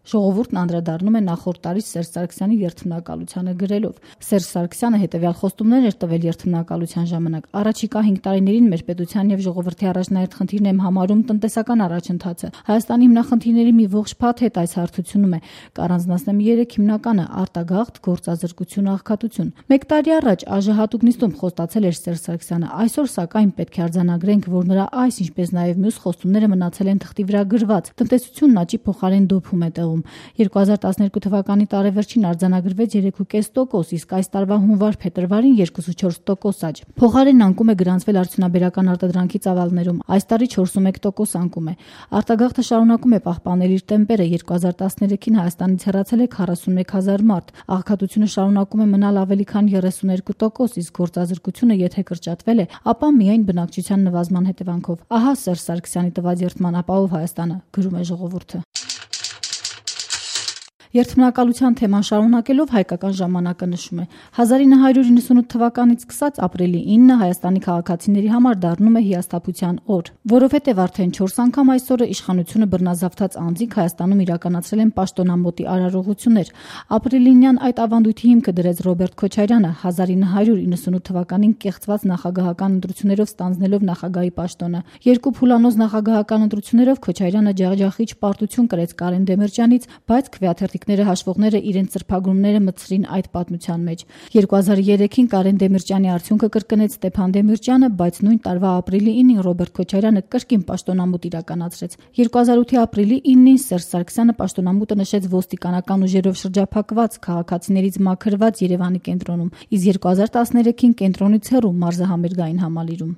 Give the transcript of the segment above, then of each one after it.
Ժողովուրդն անդրադառնում է նախորդ տարի Սերժ Սարգսյանի երթմնակալությանը գրելով. Սերժ Սարգսյանը հետևյալ խոստումներ էր տվել երթմնակալության ժամանակ. առաջիկա 5 տարիներին մեր պետության եւ ժողովրդի առաջնահերթ խնդիրն եմ համարում տնտեսական առաջընթացը։ Հայաստանի հիմնախնդիրների մի ողջ փաթեթ այս հարթությունում է։ Կառանձնացնեմ 3 հիմնականը՝ արտագաղթ, գործազրկություն, աղքատություն։ 1 տարի առաջ ԱԺ հատուկ նիստում խոստացել էր Սերժ Սարգսյանը։ Այսօր սակայն պետք է արձանագրենք, որ նրա այս, ինչպես նաեւ մյուս խոստումները մնացել են թղթի վրա գրված։ Տնտեսությունն աճի փոխարեն դոփում է տեղում։ 2012 թվականի տարեվերջին արձանագրվեց 3.5%, իսկ այս տարվա հունվար-փետրվարին 2.4% աճ։ Փոխարենն անկում է գրանցվել արդյունաբերական արտադրանքի ծավալներում։ Այս տարի 4.1% անկում է։ Արտագաղթը շարունակում է պահպանել իր տեմպերը։ 2013-ին Հայաստանից հեռացել է 41,000 մարդ։ Աղքատությունը շարունակում է մնալ ավելի քան 32%, իսկ գործազրկությունը եթե կրճատվել է, ապա միայն բնակչության նվազման հետևանքով։ Ահա Սերժ Սարգսյանի տված երթման ապահով Հայաստանը, գրում է Ժողովուրդը։ Երթմնակալության թեման շարունակելով Հայկական ժամանակը նշում է. 1998 թվականից սկսած ապրիլի 9-ը Հայաստանի քաղաքացիների համար դառնում է հիասթափության օր, որովհետև արդեն 4 անգամ այսօրը իշխանությունը բռնազավթած անձինք Հայաստանում իրականացրել են պաշտոնամոտի արարողություններ։ Ապրիլինյան այդ ավանդույթի հիմքը դրեց Ռոբերտ Քոչարյանը 1998 թվականին կեղծված նախագահական ընտրություններով ստանձնելով նախագահի պաշտոնը։ 2 փուլանոց նախագահական ընտրություններով Քոչարյանը ջախջախիչ պարտություն կրեց Կարեն Դեմիրճյանից, բայց քվեաթերթիկները հաշվողները իրենց ծրփագրումները մտցրին այդ պատմության մեջ։ 2003-ին Կարեն Դեմիրճյանի արդյունքը կրկնեց Ստեփան Դեմիրճյանը, բայց նույն տարվա ապրիլի 9-ին Ռոբերտ Քոչարյանը կրկին պաշտոնամոտ իրականացրեց։ 2008-ի ապրիլի 9-ին Սերժ Սարգսյանը պաշտոնամուտը նշեց ոստիկանական ուժերով շրջափակված, քաղաքացիներից մաքրված Երևանի կենտրոնում, իսկ 2013-ին կենտրոնից հեռու մարզահամերգային համալիրում։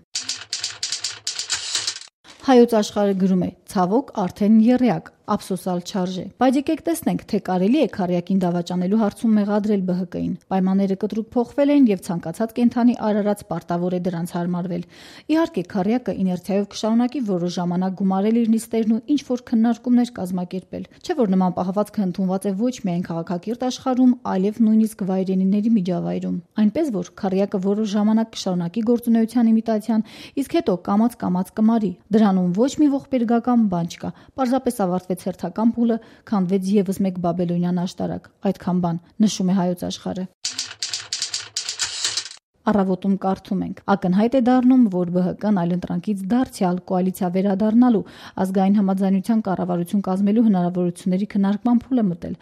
Հայոց աշխարհը գրում է. ցավոք արդեն եռյակ, ափսոսալ չարժե։ Բայց եկեք տեսնենք, թե կարելի է քառյակին դավաճանելու հարցում մեղադրել ԲՀԿ-ին։ Պայմանները կտրուկ փոխվել են եւ ցանկացած կենդանի արարած պարտավոր է դրանց հարմարվել։ Իհարկե, քառյակը իներցիայով կշարունակի որոշ ժամանակ գումարել իր նիստերն ու ինչ որ քննարկումներ կազմակերպել։ Չէ՞ որ նման պահվածքը ընդունված է ոչ միայն քաղաքակիրթ աշխարհում, այլև նույնիսկ վայրենիների միջավայրում։ Այնպես որ քառյակը որոշ ժամանակ կշարունակի գործունեության իմիտացիան, իսկ հետո կամաց կմարի։ Դրանում ոչ մի ողբերգական բան չկա։ Պարզապես ավարտվեց հերթական փուլը, քանդվեց եւս մեկ բաբելոնյան աշտարակ։ Այդքան բան, նշում է Հայոց աշխարհը։ Առավոտում կարդում ենք. ակնհայտ է դառնում, որ ԲՀԿ-ն այլընտրանքից դարձյալ կոալիցիա վերադառնալու ազգային համաձայնության կառավարություն կազմելու հնարավորությունների քննարկման փուլ է մտել։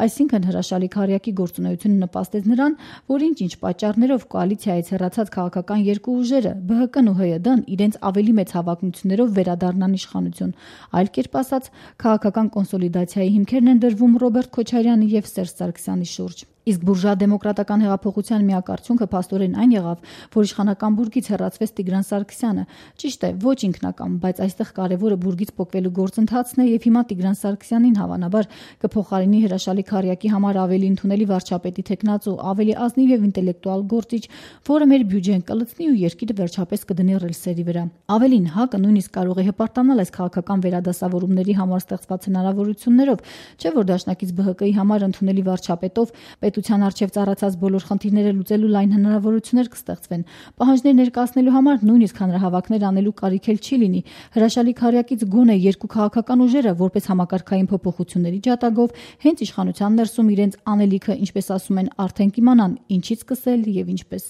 Այսինքն հրաշալի քառյակի գործունեությունը նպաստեց նրան, որ ինչ պատճառներով կոալիցիայից հեռացած քաղաքական երկու ուժերը ԲՀԿ-ն ու ՀՅԴ-ն իրենց ավելի մեծ հավակնություններով վերադառնան իշխանություն։ Այլ կերպ ասած, քաղաքական կոնսոլիդացիայի հիմքերն են դրվում Ռոբերտ Քոչարյանի եւ Սերժ Սարգսյանի շուրջ։ Իսկ բուրժուա դեմոկրատական հեղափոխության միակ արդյունքը փաստորեն այն եղավ, որ իշխանական բուրգից հեռացվեց Տիգրան Սարգսյանը։ Ճիշտ է, ոչ ինքնակամ, բայց այստեղ կարևորը բուրգից պոկվելու գործընթացն է եւ հիմա Տիգրան Սարգսյանին հավանաբար կփոխարինի հրաշալի քառյակի համար ավելի ընդունելի վարչապետի թեկնածու, ավելի ազնիվ եւ ինտելեկտուալ գործիչ, որը մեր բյուջեն կլցնի ու երկիրը վերջապես կդնի ռելսերի վրա։ Ավելին, ՀԱԿ-ը նույնիսկ կարող է հպարտանալ այս քաղաքական վերադասավորումների համար ստեղծված հնարավորություններով, չէ՞ որ դաշնակից ԲՀԿ-ի համար ընդունելի վարչապետով պետության առջև ծառացած բոլոր խնդիրները լուծելու լայն հնարավորություններ կստեղծվեն։ Պահանջներ ներկայացնելու համար նույնիսկ հանրահավաքներ անելու կարիք էլ չի լինի։ Հրաշալի քառյակից գոնե երկու քաղաքական ուժերը որպես համակարգային փոփոխությունների ջատագով հենց իշխանության ներսում իրենց անելիքը, ինչպես ասում են, արդեն կիմանան ինչից սկսել եւ ինչպես։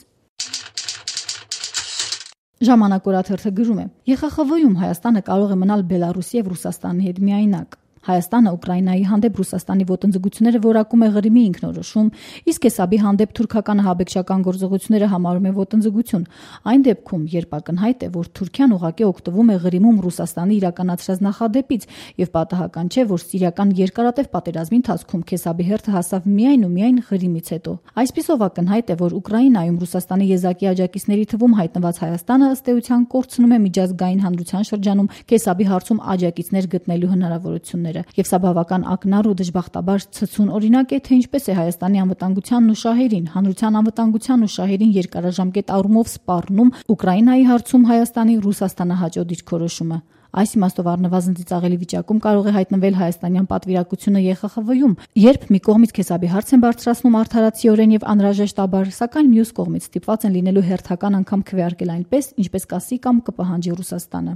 Ժամանակ օրաթերթը գրում է. ԵԽԽՎ-ում Հայաստանը կարող է մնալ Բելարուսի եւ Ռուսաստանի հետ միայնակ։ Հայաստանը Ուկրաինայի հանդեպ Ռուսաստանի ոտնձգությունները որակում է Ղրիմի ինքնորոշում, իսկ Էսաբի հանդեպ թուրքական ահաբեկչական գործողությունները համարում է ոտնձգություն։ Այն դեպքում, երբ ակնհայտ է, որ Թուրքիան ուղղակի օգտվում է Ղրիմում Ռուսաստանի իրականացրած նախադեպից եւ պատահական չէ, որ սիրիական երկարատև պատերազմի ընթացքում Քեսաբի հերթը հասավ միայն ու միայն Ղրիմից հետո։ Այսպիսով ակնհայտ է, որ Ուկրաինայում Ռուսաստանի եզակի աջակիցների թվում հայտնված Հայաստանը ըստ էության կորցնում է միջազգային հանրության շրջանում Քեսաբի հարցում աջակիցներ գտնելու հնարավորությունները։ Եվ սա բավական ակնառու դժբախտաբար ցցուն օրինակ է, թե ինչպես է Հայաստանի անվտանգությանն ու շահերին, հանրության անվտանգությանն ու շահերին երկարաժամկետ առումով սպառնում Ուկրաինայի հարցում Հայաստանի Ռուսաստանահաճո դիրքորոշումը։ Այս իմաստով առնվազն ծիծաղելի վիճակում կարող է հայտնվել հայաստանյան պատվիրակությունը ԵԽԽՎ-ում, երբ մի կողմից Քեսաբի հարց են բարձրացնում արդարացիորեն եւ անհրաժեշտաբար, սակայն մյուս կողմից ստիպված են լինելու հերթական անգամ քվեարկել այնպես, ինչպես կասի կամ կպահանջի Ռուսաստանը։